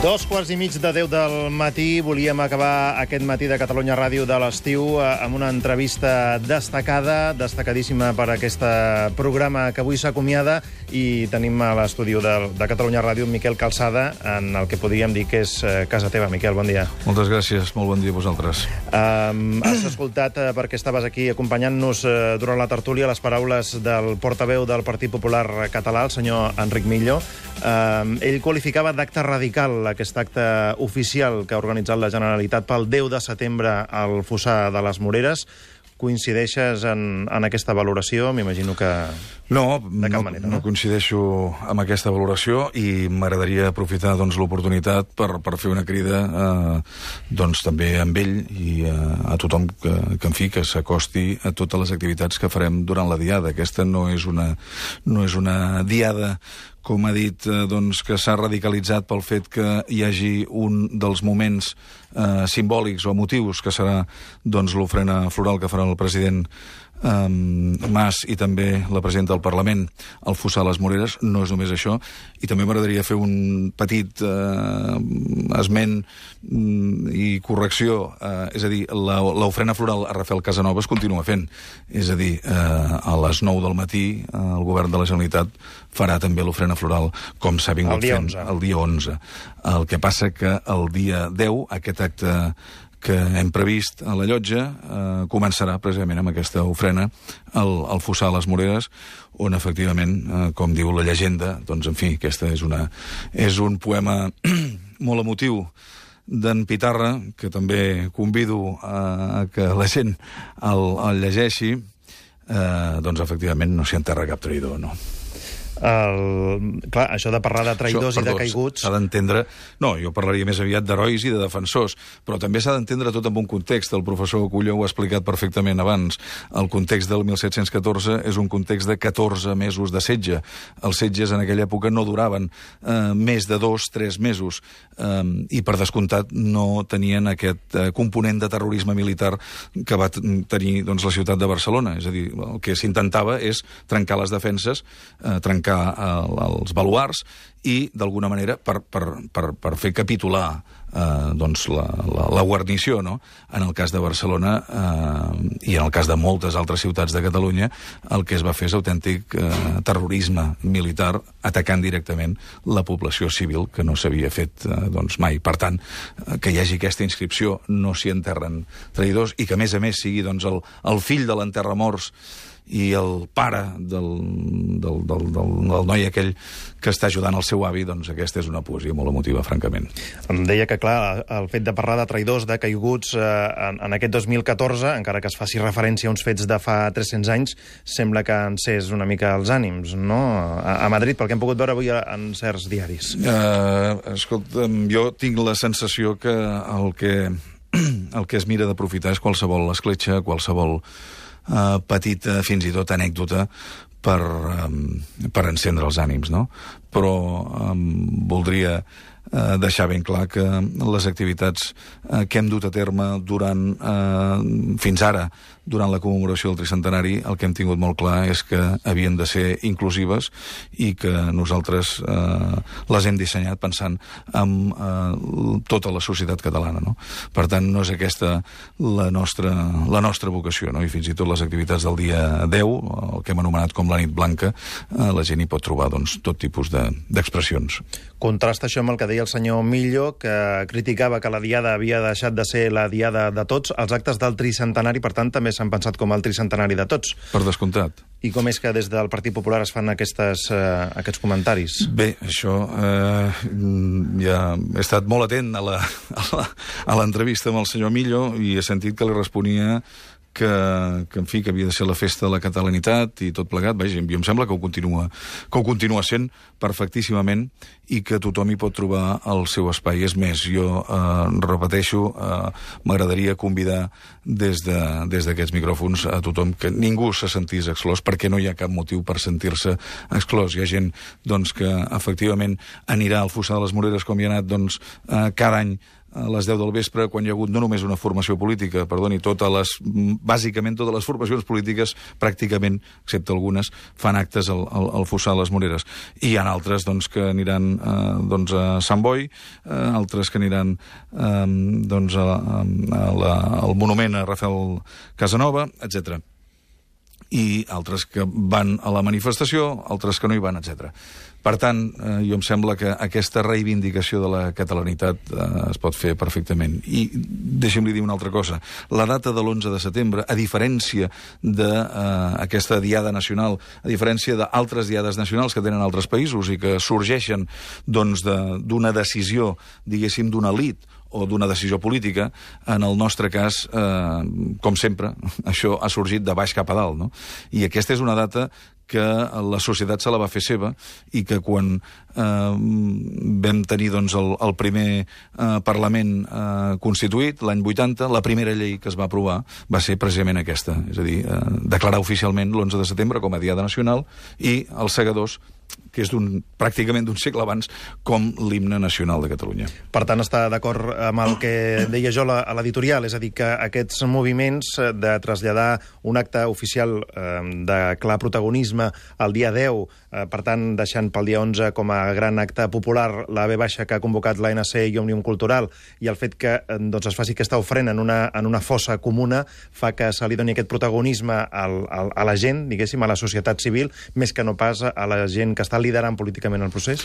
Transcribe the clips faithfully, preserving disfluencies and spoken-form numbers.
Dos quarts i mig de deu del matí. Volíem acabar aquest matí de Catalunya Ràdio de l'estiu amb una entrevista destacada, destacadíssima per aquest programa que avui s'acomiada, i tenim a l'estudi de, de Catalunya Ràdio Miquel Calçada, en el que podríem dir que és casa teva. Miquel, bon dia. Moltes gràcies, molt bon dia a vosaltres. Um, has escoltat, uh, perquè estaves aquí acompanyant-nos uh, durant la tertúlia, les paraules del portaveu del Partit Popular Català, el senyor Enric Millo. Um, ell qualificava d'acte radical aquest acte oficial que ha organitzat la Generalitat pel deu de setembre al Fossar de les Moreres. Coincideixes en, en aquesta valoració? M'imagino que no, de cap no, manera, no? No coincideixo amb aquesta valoració, i m'agradaria aprofitar doncs, l'oportunitat per, per fer una crida eh, doncs, també amb ell i eh, a tothom que, que, en fi, que s'acosti a totes les activitats que farem durant la diada. Aquesta no és una, no és una diada, com ha dit, eh, doncs, que s'ha radicalitzat pel fet que hi hagi un dels moments eh, simbòlics o emotius, que serà doncs, l'ofrena floral que farà el president eh, Mas i també la presidenta del Parlament al Fossar a les Moreres. No és només això. I també m'agradaria fer un petit eh, esment i correcció. Eh, és a dir, l'ofrena floral a Rafael Casanova es continua fent. És a dir, eh, a les nou del matí eh, el govern de la Generalitat farà també l'ofrena floral, com s'ha vingut fent el dia onze. El que passa que el dia deu, aquest acte que hem previst a la llotja eh, començarà precisament amb aquesta ofrena al, al Fossar a les Moreres, on efectivament, eh, com diu la llegenda, doncs en fi, aquesta és, una, és un poema molt emotiu d'en Pitarra, que també convido a, a que la gent el, el llegeixi. Eh, doncs efectivament no s'hi enterra cap traïdor, no? El, clar, això de parlar de traïdors això, perdó, i de caiguts... S'ha d'entendre... No, jo parlaria més aviat d'herois i de defensors, però també s'ha d'entendre tot amb un context. El professor Culló ho ha explicat perfectament abans. El context del mil set-cents catorze és un context de catorze mesos de setge. Els setges en aquella època no duraven eh, més de dos, tres mesos, eh, i per descomptat no tenien aquest eh, component de terrorisme militar que va tenir doncs, la ciutat de Barcelona. És a dir, el que s'intentava és trencar les defenses, eh, trencar els baluars i, d'alguna manera, per, per, per, per fer capitular eh, doncs la, la, la guarnició, no? En el cas de Barcelona eh, i en el cas de moltes altres ciutats de Catalunya, el que es va fer és autèntic eh, terrorisme militar, atacant directament la població civil, que no s'havia fet eh, doncs mai. Per tant, eh, que hi hagi aquesta inscripció, no s'hi enterren traïdors, i que, a més a més, sigui doncs, el, el fill de l'enterramorts i el pare del, del, del, del, del noi aquell que està ajudant el seu avi, doncs aquesta és una poesia molt emotiva, francament. Em deia que, clar, el fet de parlar de traïdors, de caiguts, eh, en, en aquest dos mil catorze, encara que es faci referència a uns fets de fa tres-cents anys, sembla que encés una mica els ànims, no? A, a Madrid, pel que hem pogut veure avui en certs diaris. Uh, escolta, jo tinc la sensació que el que, el que es mira d'aprofitar és qualsevol escletxa, qualsevol Uh, petita, fins i tot anècdota per, um, per encendre els ànims, no? Però um, voldria uh, deixar ben clar que les activitats uh, que hem dut a terme durant, uh, fins ara, durant la commemoració del tricentenari, el que hem tingut molt clar és que havien de ser inclusives i que nosaltres eh, les hem dissenyat pensant en eh, tota la societat catalana, no? Per tant, no és aquesta la nostra, la nostra vocació, no? I fins i tot les activitats del dia deu, el que hem anomenat com la nit blanca, eh, la gent hi pot trobar doncs, tot tipus d'expressions. De, Contrasta això amb el que deia el senyor Millo, que criticava que la diada havia deixat de ser la diada de tots. Els actes del tricentenari, per tant, també s'han pensat com el tricentenari de tots. Per descomptat. I com és que des del Partit Popular es fan aquestes, eh, aquests comentaris? Bé, això... Eh, ja he estat molt atent a la, a l'entrevista amb el senyor Millo i he sentit que li responia que, que, en fi, que havia de ser la festa de la catalanitat i tot plegat. Vaja, jo em sembla que ho continua, que ho continua sent perfectíssimament i que tothom hi pot trobar el seu espai. És més, jo eh, repeteixo, eh, m'agradaria convidar des de, des d'aquests micròfons a tothom que ningú se sentís exclòs, perquè no hi ha cap motiu per sentir-se exclòs. Hi ha gent doncs, que efectivament anirà al Fossar de les Moreres com hi ha anat doncs, eh, cada any a les deu del vespre, quan hi ha hagut no només una formació política, perdoni, totes les, bàsicament totes les formacions polítiques, pràcticament, excepte algunes, fan actes al, al, al Fossar de les Moreres. I hi ha altres doncs, que aniran eh, doncs, a Sant Boi, eh, altres que aniran eh, doncs, a, a la, al monument a Rafael Casanova, etcètera. I altres que van a la manifestació, altres que no hi van, etcètera. Per tant, eh, jo em sembla que aquesta reivindicació de la catalanitat eh, es pot fer perfectament. I deixi'm-li dir una altra cosa. La data de l'onze de setembre, a diferència d'aquesta eh, diada nacional, a diferència d'altres diades nacionals que tenen altres països i que sorgeixen doncs, d'una decisió, diguéssim, d'una elit o d'una decisió política, en el nostre cas, eh, com sempre, això ha sorgit de baix cap a dalt, no? I aquesta és una data que la societat se la va fer seva i que quan eh, vam tenir doncs, el, el primer eh, Parlament eh, constituït, l'any vuitanta, la primera llei que es va aprovar va ser precisament aquesta, és a dir, eh, declarar oficialment l'onze de setembre com a Diada Nacional i els segadors, que és pràcticament d'un segle abans, com l'himne nacional de Catalunya. Per tant, està d'acord amb el que deia jo a l'editorial, és a dir, que aquests moviments de traslladar un acte oficial eh, de clar protagonisme el dia deu, eh, per tant, deixant pel dia onze com a gran acte popular la ve baixa que ha convocat l'A N C i Òmnium Cultural, i el fet que eh, doncs es faci aquesta ofrena en una, en una fossa comuna fa que se li doni aquest protagonisme al, al, a la gent, diguéssim, a la societat civil, més que no pas a la gent que està liderant políticament el procés?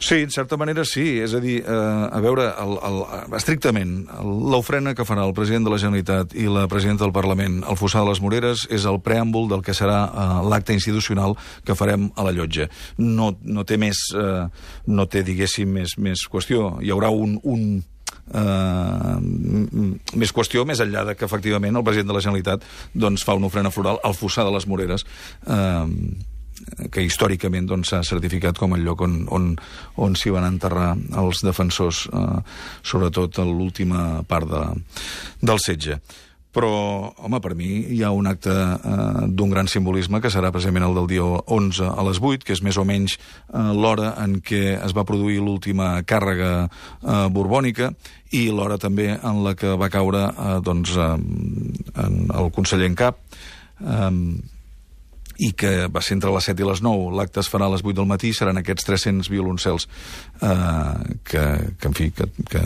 Sí, en certa manera sí. És a dir, eh, a veure, el, el, estrictament, l'ofrena que farà el president de la Generalitat i la presidenta del Parlament al Fossar de les Moreres és el preàmbul del que serà eh, l'acte institucional que farem a la Llotja. No, no té més, eh, no té, diguéssim, més, més qüestió. Hi haurà un... un Uh, més qüestió, més enllà de que efectivament el president de la Generalitat doncs, fa una ofrena floral al Fossar de les Moreres, uh, que històricament doncs, s'ha certificat com el lloc on, on, on s'hi van enterrar els defensors, uh, sobretot a l'última part de, del setge. Però, home, per mi hi ha un acte eh, d'un gran simbolisme que serà precisament el del dia onze a les vuit, que és més o menys eh, l'hora en què es va produir l'última càrrega eh, borbònica i l'hora també en la que va caure eh, doncs, eh, en el conseller en cap, eh, i que va ser entre les set i les nou. L'acte es farà a les vuit del matí, seran aquests tres-cents violoncels eh, que, que, en fi, que, que,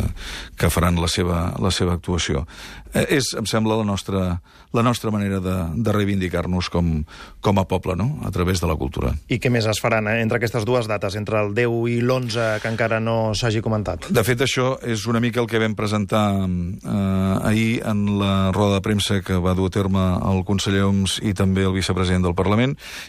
que faran la seva, la seva actuació. Eh, és, em sembla, la nostra, la nostra manera de, de reivindicar-nos com, com a poble, no?, a través de la cultura. I què més es faran eh, entre aquestes dues dates, entre el deu i l'onze, que encara no s'hagi comentat? De fet, això és una mica el que vam presentar eh, ahir en la roda de premsa que va dur a terme el conseller Homs i també el vicepresident del Parlament,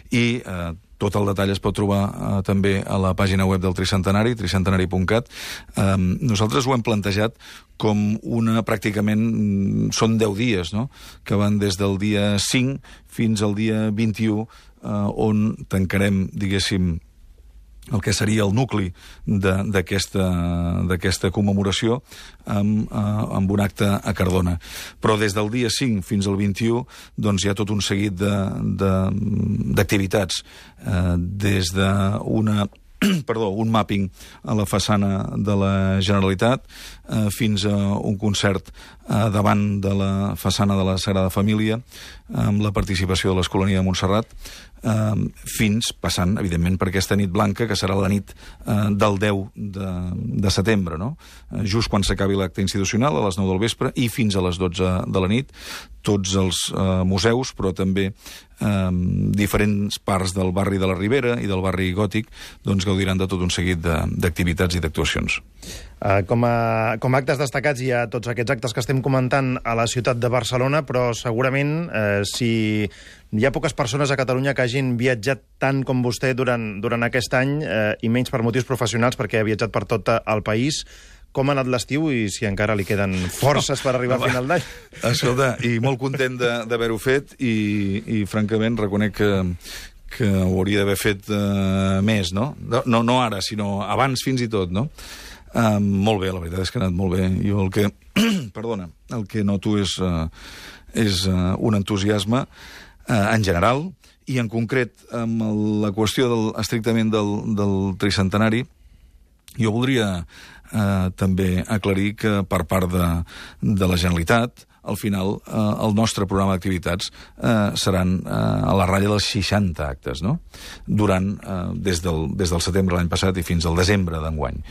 i eh, tot el detall es pot trobar eh, també a la pàgina web del Tricentenari, tricentenari punt cat. Eh, nosaltres ho hem plantejat com una, pràcticament, són deu dies, no?, que van des del dia cinc fins al dia vint-i-u, eh, on tancarem, diguéssim, el que seria el nucli d'aquesta commemoració amb, uh, amb un acte a Cardona. Però des del dia cinc fins al vint-i-u doncs, hi ha tot un seguit d'activitats, uh, des d'una perdó, un mapping a la façana de la Generalitat eh, fins a un concert eh, davant de la façana de la Sagrada Família amb la participació de l'Escolania de Montserrat, eh, fins passant, evidentment, per aquesta nit blanca, que serà la nit eh, del deu de, de setembre, no? Eh, just quan s'acabi l'acte institucional, a les nou del vespre, i fins a les dotze de la nit, tots els eh, museus, però també eh, diferents parts del barri de la Ribera i del barri gòtic, doncs gaudiran de tot un seguit d'activitats i d'actuacions. Uh, com, a, com a actes destacats hi ha tots aquests actes que estem comentant a la ciutat de Barcelona, però segurament eh, si hi ha poques persones a Catalunya que hagin viatjat tant com vostè durant, durant aquest any, eh, i menys per motius professionals, perquè ha viatjat per tot el país, com ha anat l'estiu i si encara li queden forces per arribar a final d'any? Escolta, i molt content d'haver-ho fet i, i francament reconec que, que ho hauria d'haver fet uh, més, no? no? No ara, sinó abans fins i tot, no? Uh, molt bé, la veritat és que ha anat molt bé. Jo el que, perdona, el que noto és, uh, és uh, un entusiasme uh, en general i en concret amb el, la qüestió del, estrictament del, del tricentenari. Jo voldria eh, també aclarir que per part de, de la Generalitat, al final, eh, el nostre programa d'activitats eh, seran eh, a la ratlla dels seixanta actes, no? Durant, eh, des, del, des del setembre l'any passat i fins al desembre d'enguany.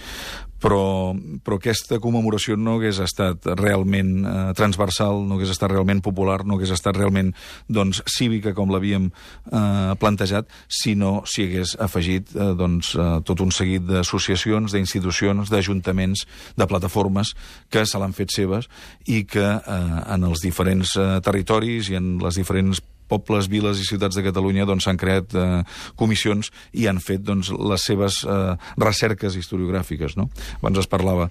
Però, però aquesta commemoració no hagués estat realment eh, transversal, no hagués estat realment popular, no hagués estat realment doncs, cívica com l'havíem eh, plantejat, si no s'hi hagués afegit eh, doncs, eh, tot un seguit d'associacions, d'institucions, d'ajuntaments, de plataformes que se l'han fet seves i que eh, en els diferents eh, territoris i en les diferents pobles, viles i ciutats de Catalunya doncs, s'han creat eh, comissions i han fet doncs, les seves eh, recerques historiogràfiques. No? Abans es parlava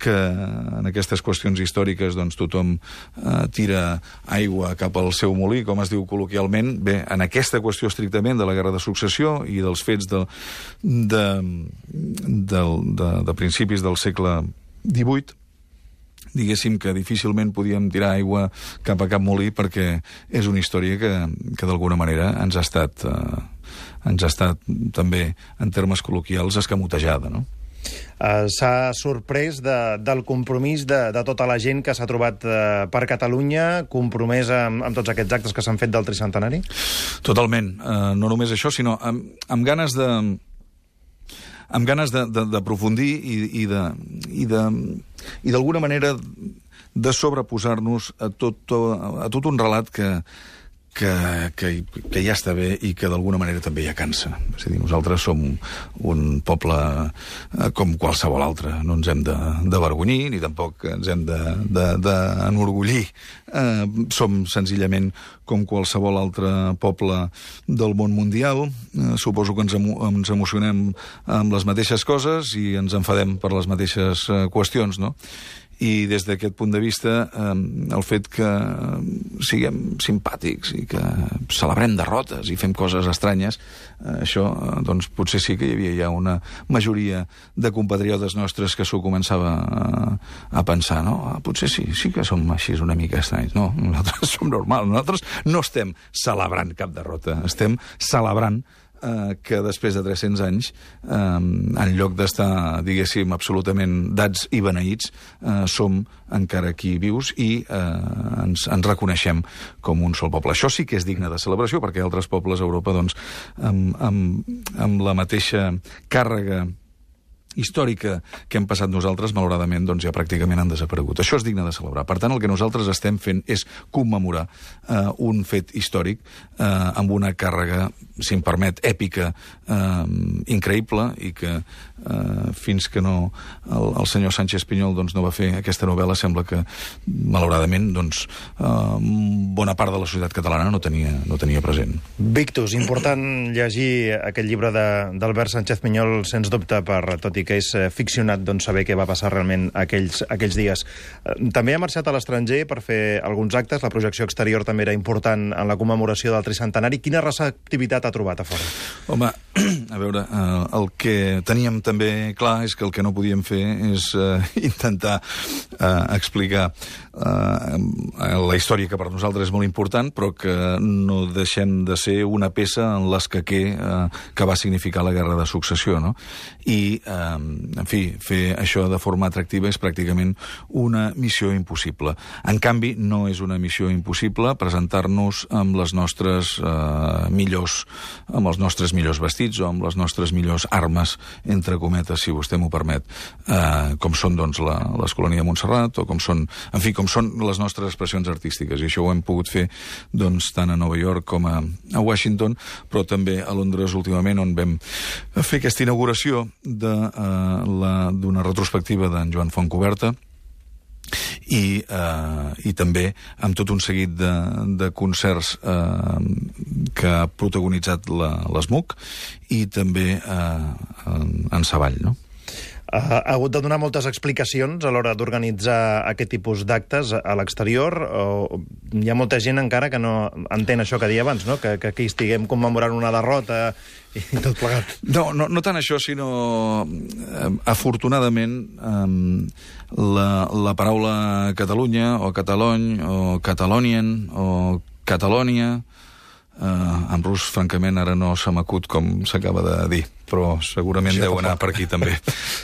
que en aquestes qüestions històriques doncs, tothom eh, tira aigua cap al seu molí, com es diu col·loquialment. Bé, en aquesta qüestió estrictament de la Guerra de Successió i dels fets de, de, de, de, de principis del segle divuit, diguéssim que difícilment podíem tirar aigua cap a cap molí perquè és una història que, que d'alguna manera ens ha estat, eh, ens ha estat també, en termes col·loquials, escamotejada, no? Uh, s'ha sorprès de, del compromís de, de tota la gent que s'ha trobat uh, per Catalunya, compromès amb, amb tots aquests actes que s'han fet del tricentenari? Totalment. Uh, no només això, sinó amb, amb ganes de... amb ganes d'aprofundir i, i de... I de i d'alguna manera de sobreposar-nos a tot, a tot un relat que, que, que, que ja està bé i que d'alguna manera també ja cansa. És a dir, nosaltres som un poble com qualsevol altre. No ens hem d'avergonyir ni tampoc ens hem d'enorgullir. Eh, som senzillament com qualsevol altre poble del món mundial. Eh, suposo que ens, emo ens emocionem amb les mateixes coses i ens enfadem per les mateixes eh, qüestions, no? I des d'aquest punt de vista, eh, el fet que siguem simpàtics i que celebrem derrotes i fem coses estranyes, eh, això eh, doncs potser sí que hi havia ja una majoria de compatriotes nostres que s'ho començava a, a pensar, no? Ah, potser sí, sí que som així una mica estranys. No, nosaltres som normals, nosaltres no estem celebrant cap derrota, estem celebrant Eh, que després de tres-cents anys, eh, en lloc d'estar, diguéssim, absolutament dats i beneïts, eh, som encara aquí vius i eh, ens, ens reconeixem com un sol poble. Això sí que és digne de celebració, perquè altres pobles a Europa, doncs, amb, amb, amb la mateixa càrrega històrica que hem passat nosaltres, malauradament, doncs ja pràcticament han desaparegut. Això és digne de celebrar. Per tant, el que nosaltres estem fent és commemorar eh, un fet històric eh, amb una càrrega, si em permet, èpica, eh, increïble, i que eh, fins que no el, el senyor Sánchez Pinyol doncs, no va fer aquesta novel·la, sembla que, malauradament, doncs, eh, bona part de la societat catalana no tenia, no tenia present. Victus, important llegir aquest llibre d'Albert Sánchez Pinyol, sens dubte, per tot i que és ficcionat, doncs, saber què va passar realment aquells, aquells dies. També ha marxat a l'estranger per fer alguns actes. La projecció exterior també era important en la commemoració del tricentenari. Quina receptivitat ha trobat a fora? Home, a veure, eh, el que teníem també clar és que el que no podíem fer és eh, intentar eh, explicar eh, la història que per nosaltres és molt important, però que no deixem de ser una peça en l'escaquer eh, que va significar la Guerra de Successió, no? I, eh, en fi, fer això de forma atractiva és pràcticament una missió impossible. En canvi, no és una missió impossible presentar-nos amb les nostres eh, millors, amb els nostres millors vestits o amb les nostres millors armes, entre cometes, si vostè m'ho permet, eh, com són, doncs, la, l'Escolania de Montserrat, o com són, en fi, com són les nostres expressions artístiques. I això ho hem pogut fer, doncs, tant a Nova York com a, a Washington, però també a Londres últimament, on vam fer aquesta inauguració de d'una retrospectiva d'en Joan Fontcuberta i, eh, i també amb tot un seguit de, de concerts eh, que ha protagonitzat l'ESMUC i també eh, en, en Savall, no? Ha hagut de donar moltes explicacions a l'hora d'organitzar aquest tipus d'actes a l'exterior. Hi ha molta gent encara que no entén això que deia abans, no? Que, que aquí estiguem commemorant una derrota i tot plegat. No, no, no tant això, sinó eh, afortunadament eh, la, la paraula Catalunya o Catalony o Catalonien o Catalònia, eh, en rus, francament, ara no se m'acut com s'acaba de dir, però segurament Això deu fa anar poc. per aquí també.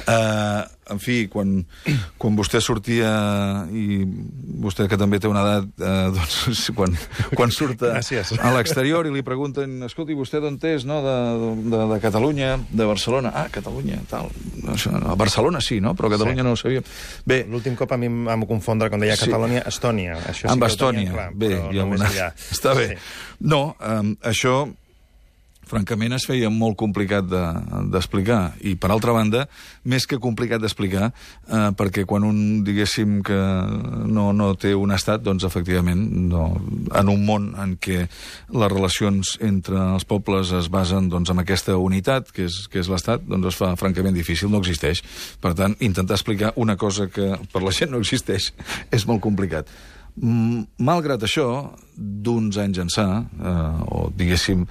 Uh, en fi, quan, quan vostè sortia, i vostè que també té una edat, uh, doncs quan, quan surt a, Gràcies. a l'exterior i li pregunten, escolti, vostè d'on és, no? De, de, de Catalunya, de Barcelona. Ah, Catalunya, tal. Això, a Barcelona sí, no? Però a Catalunya Sí. no ho sabíem. Bé, L'últim cop a mi em vam confondre quan deia Sí. Catalunya, Estònia. Això sí amb que ho tenia Estònia. clar, Bé, però hi ha no més una... enllà. Està bé. Sí. No, um, això, francament, es feia molt complicat de- d'explicar. I, per altra banda, més que complicat d'explicar, eh, perquè quan un, diguéssim, que no, no té un estat, doncs, efectivament, no, en un món en què les relacions entre els pobles es basen doncs, en aquesta unitat, que és, que és l'estat, doncs es fa francament difícil, no existeix. Per tant, intentar explicar una cosa que per la gent no existeix és molt complicat. Mm, Malgrat això, d'uns anys ençà, eh, o diguéssim,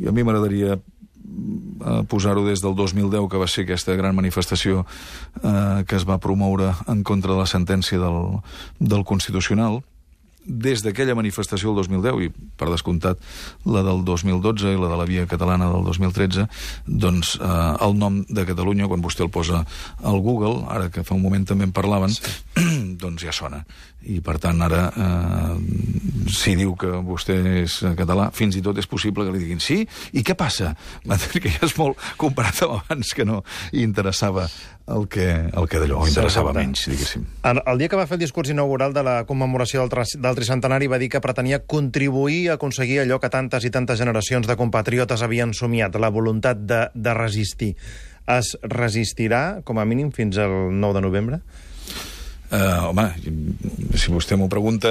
a mi m'agradaria eh, posar-ho des del dos mil deu, que va ser aquesta gran manifestació eh, que es va promoure en contra de la sentència del, del Constitucional. Des d'aquella manifestació del dos mil deu, i per descomptat la del dos mil dotze i la de la Via Catalana del dos mil tretze, doncs eh, el nom de Catalunya, quan vostè el posa al Google, ara que fa un moment també en parlaven, sí. doncs ja sona. I per tant ara, eh, si diu que vostè és català, fins i tot és possible que li diguin sí, i què passa? Que ja és molt comparat amb abans, que no interessava el que, el que d'allò, o interessava menys, diguéssim. El, el dia que va fer el discurs inaugural de la commemoració del, tras- del tricentenari va dir que pretenia contribuir a aconseguir allò que tantes i tantes generacions de compatriotes havien somiat, la voluntat de, de resistir. Es resistirà, com a mínim, fins al nou de novembre? Uh, home, si vostè m'ho pregunta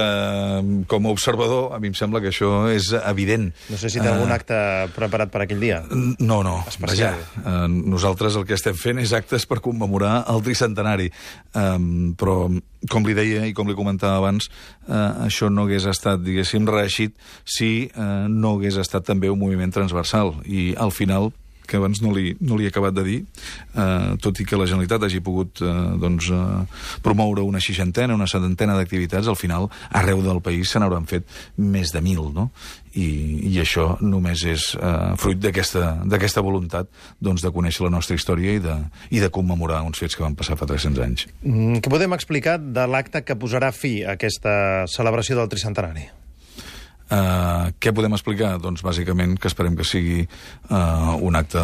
com a observador, a mi em sembla que això és evident. No sé si té algun acte preparat per aquell dia. No, no. Especial. Vaja, uh, nosaltres el que estem fent és actes per commemorar el tricentenari. Um, però, com li deia i com li comentava abans, uh, això no hagués estat, diguéssim, reeixit si uh, no hagués estat també un moviment transversal. I al final, que abans no li, no li he acabat de dir, eh, tot i que la Generalitat hagi pogut eh, doncs, eh, promoure una seixantena, una setantena d'activitats, al final, arreu del país se n'hauran fet més de mil, no? I, i això només és eh, fruit d'aquesta d'aquesta voluntat doncs, de conèixer la nostra història i de, i de commemorar uns fets que van passar fa tres-cents anys. Mm, què podem explicar de l'acte que posarà fi a aquesta celebració del tricentenari? Uh, què podem explicar? Doncs bàsicament que esperem que sigui uh, un acte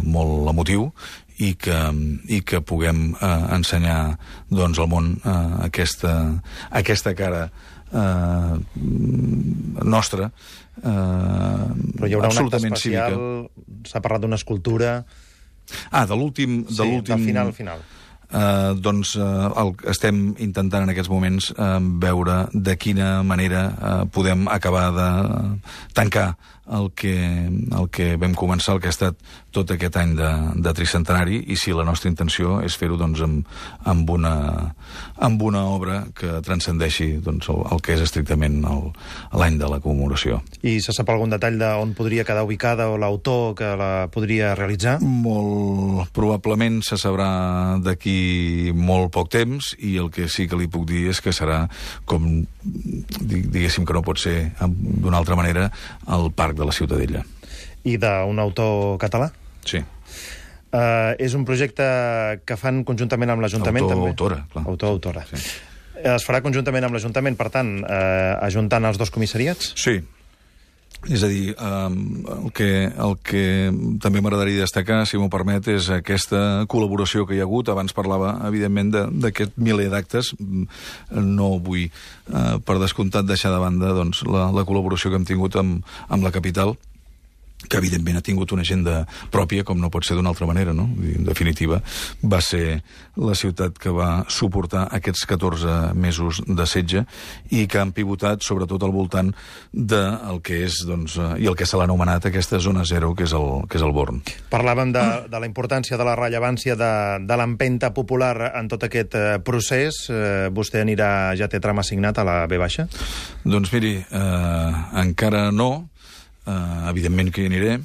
molt emotiu i que, i que puguem uh, ensenyar doncs, al món uh, aquesta, aquesta cara uh, nostra, uh, Però hi haurà un acte absolutament especial, cívica. s'ha parlat d'una escultura... Ah, de l'últim... Sí, de l'últim del final, final. Uh, doncs uh, el, estem intentant en aquests moments uh, veure de quina manera uh, podem acabar de tancar el que, el que vam començar, el que ha estat tot aquest any de, de tricentenari, i si la nostra intenció és fer-ho doncs, amb, amb, una, amb una obra que transcendeixi doncs, el, el que és estrictament el- l'any de la commemoració. I se sap algun detall d'on podria quedar ubicada o l'autor que la podria realitzar? Molt probablement se sabrà d'aquí molt poc temps, i el que sí que li puc dir és que serà, com di- diguéssim que no pot ser d'una altra manera, al Parc de la Ciutadella. I d'un autor català? Sí. Uh, és un projecte que fan conjuntament amb l'Ajuntament, Autor, també? autora, clar. Autor, autora. Sí. Es farà conjuntament amb l'Ajuntament, per tant, uh, ajuntant els dos comissariats? Sí. És a dir, um, el, que, el que també m'agradaria destacar, si m'ho permet, és aquesta col·laboració que hi ha hagut. Abans parlava, evidentment, de- d'aquest miler d'actes. No vull, uh, per descomptat, deixar de banda doncs, la, la col·laboració que hem tingut amb, amb la capital, que evidentment ha tingut una agenda pròpia, com no pot ser d'una altra manera, no? I, en definitiva, va ser la ciutat que va suportar aquests catorze mesos de setge i que han pivotat sobretot al voltant del que és, doncs, eh, i el que se l'ha anomenat aquesta zona zero, que és el, que és el Born. Parlàvem de, de la importància, de la rellevància de, de l'empenta popular en tot aquest eh, procés. Eh, vostè anirà, ja té tram assignat a la B baixa? Doncs miri, eh, encara no, eh, evidentment que hi aniré,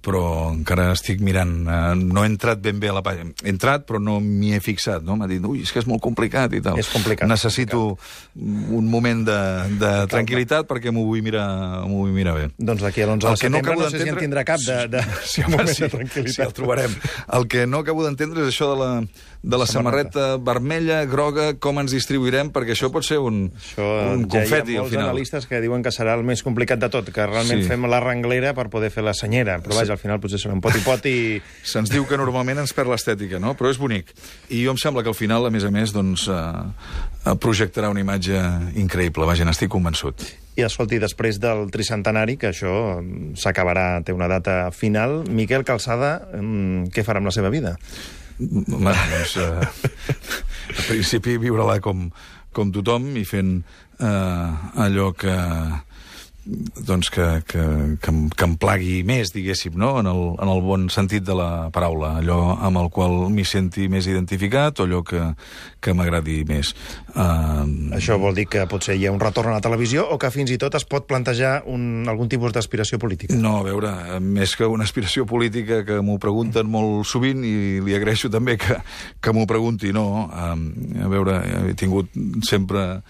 però encara estic mirant. Eh, no he entrat ben bé a la pàgina. He entrat, però no m'hi he fixat, no? M'ha dit, ui, és que és molt complicat i tal. És complicat. Necessito complicat. un moment de, de tranquil·litat perquè m'ho vull mirar, m'ho vull mirar bé. Doncs d'aquí a l'onze de setembre no, no sé si en tindrà cap de, de, sí, de moment sí, de tranquil·litat. Sí, el trobarem. El que no acabo d'entendre és això de la, de la samarreta. samarreta vermella, groga, com ens distribuirem, perquè això pot ser un, això, un confeti ja al final. Analistes que diuen que serà el més complicat de tot, que realment sí. fem la renglera per poder fer la senyera, però vaja, al final potser serà un poti-poti i... Se'ns diu que normalment ens perd l'estètica, no? Però és bonic. I jo em sembla que al final, a més a més, doncs, eh, projectarà una imatge increïble. Vaja, n'estic convençut. I escolti, després del tricentenari, que això s'acabarà, té una data final, Miquel Calçada, què farà amb la seva vida? Home, doncs, eh, al principi viure-la com, com tothom i fent eh, allò que... doncs que, que, que, em, que em plagui més, diguéssim, no? en, el, en el bon sentit de la paraula, allò amb el qual m'hi senti més identificat o allò que, que m'agradi més. Uh... Això vol dir que potser hi ha un retorn a la televisió o que fins i tot es pot plantejar un, algun tipus d'aspiració política? No, a veure, més que una aspiració política que m'ho pregunten molt sovint i li agraeixo també que, que m'ho pregunti, no. Um, a veure, he tingut sempre...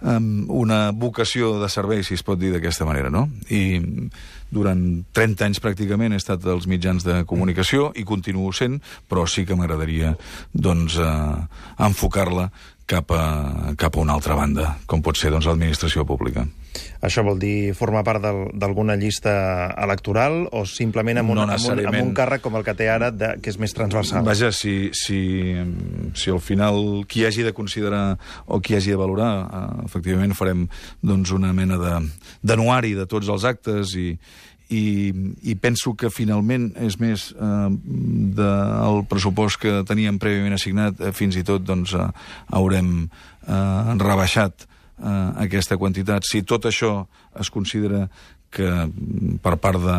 Um, una vocació de servei, si es pot dir d'aquesta manera, no? I durant trenta anys pràcticament he estat als mitjans de comunicació i continuo sent, però sí que m'agradaria doncs, uh, enfocar-la cap a, cap a una altra banda, com pot ser doncs, l'administració pública. Això vol dir formar part d'alguna llista electoral o simplement amb un, no amb un, amb un càrrec com el que té ara, de, que és més transversal? Vaja, si, si, si al final qui hagi de considerar o qui hagi de valorar, eh, efectivament farem doncs, una mena d'anuari de, de tots els actes i, i, i penso que finalment és més eh, del pressupost que teníem prèviament assignat, eh, fins i tot doncs, eh, haurem eh, rebaixat Uh, aquesta quantitat. Si tot això es considera que per part de,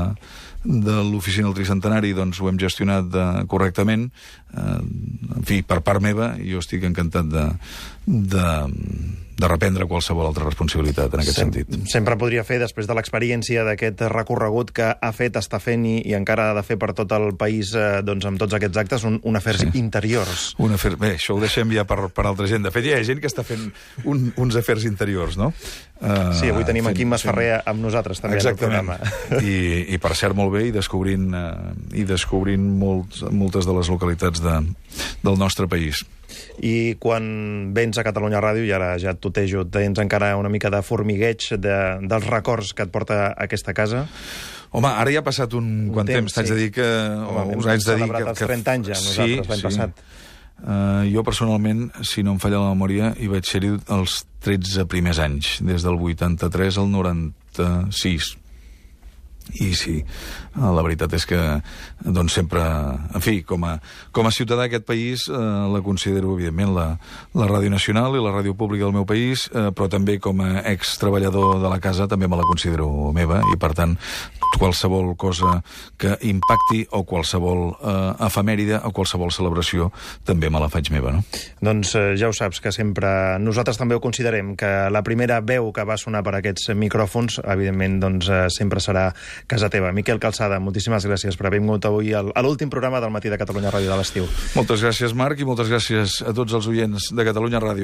de l'oficina del tricentenari doncs, ho hem gestionat de, correctament, uh, en fi, per part meva, jo estic encantat de, de, de reprendre qualsevol altra responsabilitat en aquest Sem sentit. Sempre podria fer, després de l'experiència d'aquest recorregut que ha fet, està fent i, i encara ha de fer per tot el país eh, doncs, amb tots aquests actes, un, un afers sí. interiors. Un afer... Bé, això ho deixem ja per, per altra gent. De fet, hi ha gent que està fent un, uns afers interiors, no? Uh, sí, avui tenim en Quim Masferrer amb nosaltres també. Exactament. En el programa. I, I per cert, molt bé, i descobrint, uh, i descobrint molts, moltes de les localitats de, del nostre país. I quan vens a Catalunya Ràdio, i ara ja et tutejo, tens encara una mica de formigueig de, dels records que et porta a aquesta casa? Home, ara ja ha passat un, un quant temps, t'haig sí. de dir que... Home, us haig de dir que... els trenta anys ja, nosaltres, l'any sí. passat. Uh, jo personalment, si no em falla la memòria, hi vaig ser-hi els tretze primers anys, des del vuitanta-tres al noranta-sis. I sí, la veritat és que doncs sempre, en fi, com a, com a ciutadà d'aquest país eh, la considero, evidentment, la, la Ràdio Nacional i la ràdio pública del meu país, eh, però també com a ex-treballador de la casa també me la considero meva i, per tant, qualsevol cosa que impacti o qualsevol eh, efemèride o qualsevol celebració també me la faig meva, no? Doncs eh, ja ho saps, que sempre nosaltres també ho considerem, que la primera veu que va sonar per aquests micròfons, evidentment, doncs eh, sempre serà casa teva. Miquel Calçada, moltíssimes gràcies per haver vingut avui a l'últim programa del Matí de Catalunya Ràdio de l'estiu. Moltes gràcies, Marc, i moltes gràcies a tots els oients de Catalunya Ràdio.